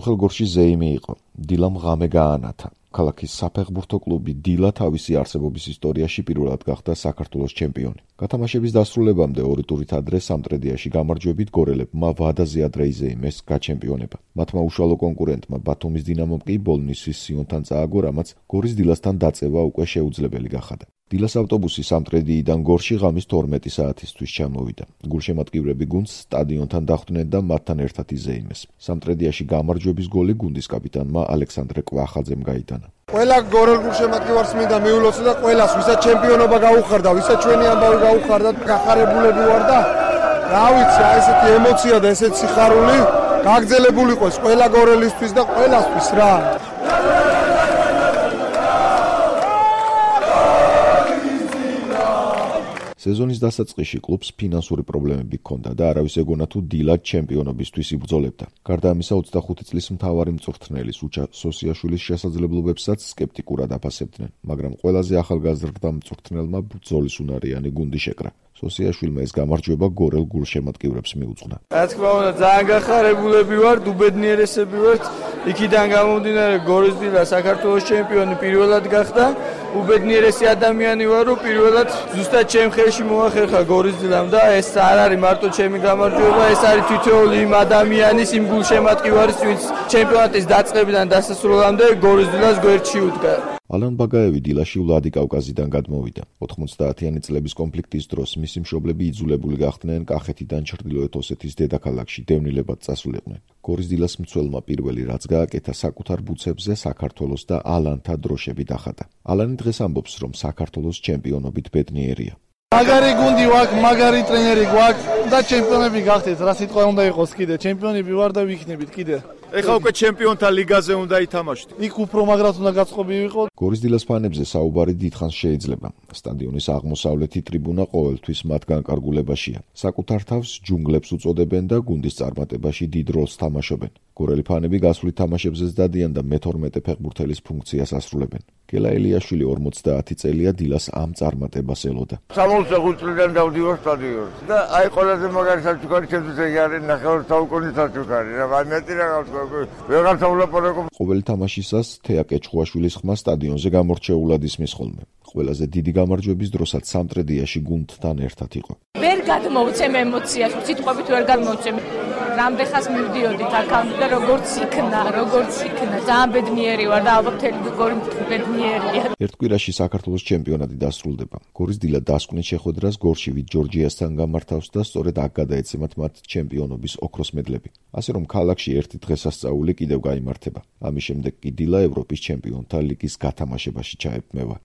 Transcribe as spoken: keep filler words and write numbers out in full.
სოფელ გორში ზეიმი იყო. დილამ ღამე გაანათა. ქალაქის საფეხბურთო კლუბი დილა თავისი არსებობის ისტორიაში პირველად გახდა საქართველოს ჩემპიონი. გათამაშების დასრულებამდე ორი ტურით ადრე სამტრედიაში გამარჯვებით გორელებმა ვადაზე ადრე იზეიმეს გაჩემპიონება. მათმა უშუალო კონკურენტმა ბათუმის დინამომ კი ბოლნისის სიონთან წააგო, რამაც გორის დილასთან დაწევა უკვე შეუძლებელი გახადა. დილას ავტობუსი სამტრედიიდან გორში ღამის თორმეტი საათისთვის ჩამოვიდა. გულშემატკივრები გუნდს სტადიონთან დახვდნენ და მათთან ერთად იზეიმეს. სამტრედიაში გამარჯვების გოლი გუნდის კაპიტანმა ალექსანდრე კვახაძემ გაიტანა. ყველა გორელ გულშემატკივარს მინდა მიულოცო და ყველას, ვისაც ჩემპიონობა გაუხარდა, ვისაც ჩვენი ამბავი გაუხარდა, გახარებულები ვარ და რა ვიცი, აი ესეთი ემოცია და ესეთი სიხარული გაგრძელებული იყოს ყველა გორელისთვის და ყველასთვის რა. სეზონის დასაწყისში კლუბს ფინანსური პრობლემები ჰქონდა და არავის ეგონა თუ დილად ჩემპიონობისთვის იბრძოლებდა. გარდა ამისა, ოცდახუთი წლის მთავარი მწვრთნელის უჩა სოსიაშვილის შესაძლებლობებსაც სკეპტიკურად აფასებდნენ, მაგრამ ყველაზე ახალგაზრდა მწვრთნელმა ბრძოლის უნარიანი გუნდი შეკრა. სოსიაშვილმა ეს გამარჯვება გორელ გულშემატკივრებს მიუძღვნა. რა თქმა უნდა, ძალიან გახარებულები ვართ, უბედნიერესები ვართ. იქიდან გამომდინარე გორის დილა საქართველოს ჩემპიონი პირველად გახდა. უბედნიერესი ადამიანი ვარ, რომ პირველად ზუსტად ჩემ ხელში მოახერხა გორის დილამ და ეს არ არის მარტო ჩემი გამარჯვება, ეს არის თითოეული იმ ადამიანის, იმ გულშემატკივარის, ვინც ჩემპიონატის დაწყებიდან დასასრულამდე გორის დილას გვერდში უდგა. ალან ბაგაევი დილაში ვლადიკავკაზიდან გადმოვიდა. ოთხმოცდაათიანი წლების კონფლიქტის დროს მისი მშობლები იძულებული გახდნენ კახეთიდან ჩრდილოეთ ოსეთის დედაქალაქში დევნილებად წასულიყვნენ. გორის დილას მცველმა პირველი რაც გააკეთა, საკუთარ ბუცებზე საქართველოს და ალანთა დროშები დახატა. ალანი დღეს ამბობს, რომ საქართველოს ჩემპიონობით ბედნიერია. მაგარი გუნდი ვაქვს, მაგარი ტრენერი გვაქვს და ჩემპიონები გახდეთ. რა სიტყვა უნდა იყოს კიდე? ჩემპიონები ვარ და ვიქნებით კიდე. ეხლა უკვე ჩემპიონთა ლიგაზე უნდა ითამაშოთ. იქ უფრო მაგრად უნდა გაწყობი ვიყო. გორის დილას ფანებზე საუბარი დიდხანს შეიძლება. სტადიონის აღმოსავლეთი ტრიბუნა ყოველთვის მათ განკარგულებაშია. საკუთარ თავს ჯუნგლებს უწოდებენ და გუნდის წარმატებაში დიდ როლს თამაშობენ. გორელი ფანები გასული თამაშებზეც დადიან და მეთორმეტე ფეხბურთელის ფუნქციას ასრულებენ. გელა ელიაშვილი ორმოცდაათი წელია დილას ამ წარმატებას ელოდა. სამოცდახუთი წლიდან დავდივარ სტადიონს და აი ყველაზე მაგარი საჩუქარი ჩემთვის ეგ არის ნახევარ საუკუნის საჩუქარი. რა მეტი რაღაც ვეღარ თავლაპარაკობ. ყოველი თამაშისას თეა კეჩხუაშვილის ხმა სტადიონზე გამორჩეულად ისმის ხოლმე. ყველაზე დიდი გამარჯვების დროსაც სამტრედიაში გუნდთან ერთად იყო. ვერ გადმოვცემ ემოციას, სიტყვებით ვერ გადმოვცემ. რამდენხანს მივდიოდით აქამდე და როგორც იქნა, როგორც იქნა, ძალიან ბედნიერი ვარ და ალბათ მთელი გორი ბედნიერია. ერთ კვირაში საქართველოს ჩემპიონატი დასრულდება. გორის დილა დასკვნით შეხვედრას გორშივით ჯორჯიასთან გამართავს და სწორედ აქ გადაეცემათ მათ ჩემპიონობის ოქროს მედლები. ასე რომ ქალაქში ერთი დღესასწაული კიდევ გაიმართება. ამის შემდეგ კი დილა ევროპის ჩემპიონთა ლიგის გათამაშებაში ჩაებმევა.